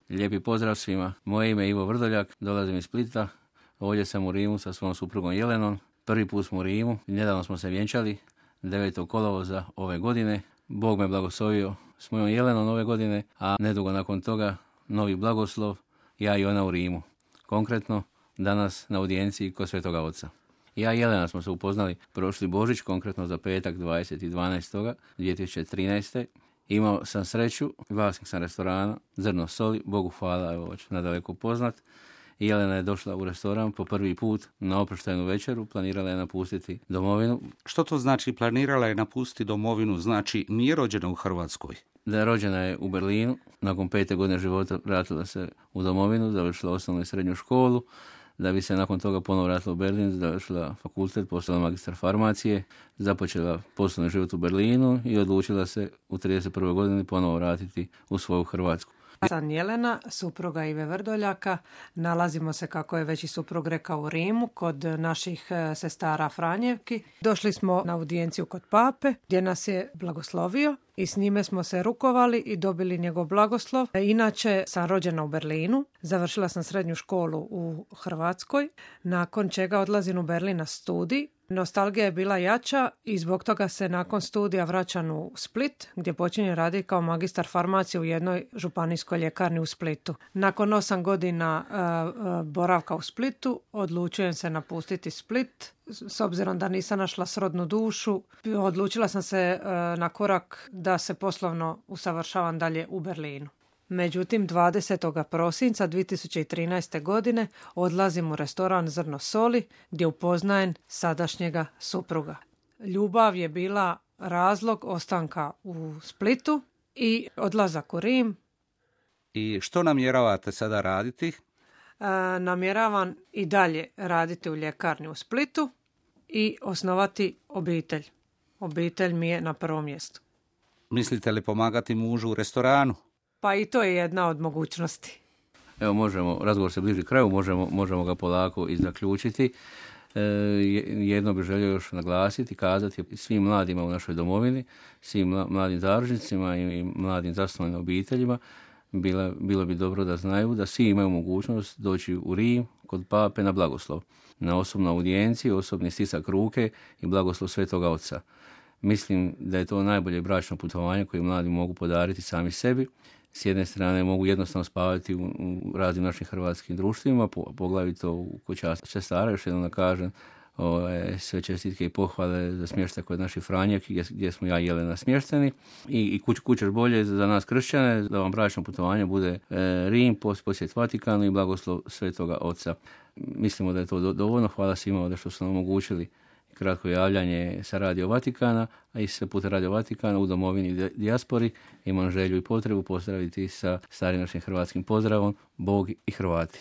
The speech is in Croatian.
Lijepi pozdrav svima. Moje ime je Ivo Vrdoljak, dolazim iz Splita. Ovdje sam u Rimu sa svojom suprugom Jelenom. Prvi put smo u Rimu, nedavno smo se vjenčali, 9. kolovoza ove godine. Bog me blagoslovio s mojom Jelenom ove godine, a nedugo nakon toga novi blagoslov, ja i ona u Rimu. Konkretno, danas na audijenciji kod Svetoga Oca. Ja i Jelena smo se upoznali prošli Božić, konkretno za petak 20.12.2013. Imao sam sreću, vlasnik sam restorana, Zrno soli, Bogu hvala, evo već nadaleko poznat. I Jelena je došla u restoran po prvi put na oproštajnu večeru, planirala je napustiti domovinu. Što to znači planirala je napustiti domovinu? Znači nije rođena u Hrvatskoj? Da je rođena je u Berlinu, nakon 5. godine života vratila se u domovinu, završila osnovnu i srednju školu, da bi se nakon toga ponovo vratila u Berlin, završila fakultet, postala magistar farmacije, započela poslovni život u Berlinu i odlučila se u 31. godini ponovo vratiti u svoju Hrvatsku. Sam Jelena, supruga Ive Vrdoljaka. Nalazimo se, kako je već i suprug rekao, u Rimu kod naših sestara Franjevki. Došli smo na audijenciju kod pape gdje nas je blagoslovio i s njime smo se rukovali i dobili njegov blagoslov. Inače sam rođena u Berlinu, završila sam srednju školu u Hrvatskoj, nakon čega odlazim u Berlin na studij. Nostalgija je bila jača i zbog toga se nakon studija vraćam u Split, gdje počinjem raditi kao magistar farmacije u jednoj županijskoj ljekarni u Splitu. Nakon 8 godina boravka u Splitu odlučujem se napustiti Split. S obzirom da nisam našla srodnu dušu, odlučila sam se na korak da se poslovno usavršavam dalje u Berlinu. Međutim, 20. prosinca 2013. godine odlazim u restoran Zrno soli gdje upoznajem sadašnjega supruga. Ljubav je bila razlog ostanka u Splitu i odlazak u Rim. I što namjeravate sada raditi? Namjeravam i dalje raditi u ljekarni u Splitu i osnovati obitelj. Obitelj mi je na prvom mjestu. Mislite li pomagati mužu u restoranu? Pa i to je jedna od mogućnosti. Evo možemo, razgovor se bliži kraju, možemo ga polako i zaključiti. Jedno bih želio još naglasiti, kazati svim mladima u našoj domovini, svim mladim zaručnicima i mladim zasnovanim obiteljima, bilo bi dobro da znaju da svi imaju mogućnost doći u Rim kod pape na blagoslov, na osobnu audijenciju, osobni stisak ruke i blagoslov Svetoga Oca. Mislim da je to najbolje bračno putovanje koje mladi mogu podariti sami sebi. S jedne strane mogu jednostavno spavati u raznim našim hrvatskim društvima, poglavito u kućanstvu sestara, još jednom da kažem, sve čestitke i pohvale za smještaj kod naših Franjevki gdje smo ja i Jelena smješteni i kućeš bolje za nas kršćane, da vam bračno putovanje bude Rim, posjet Vatikanu i blagoslov Svetoga Oca. Mislimo da je to dovoljno. Hvala svima ovdje što su nam omogućili kratko javljanje sa Radio Vatikana, a i sve putem Radio Vatikana u domovini i dijaspori. Imam želju i potrebu pozdraviti sa starim našim hrvatskim pozdravom Bog i Hrvati.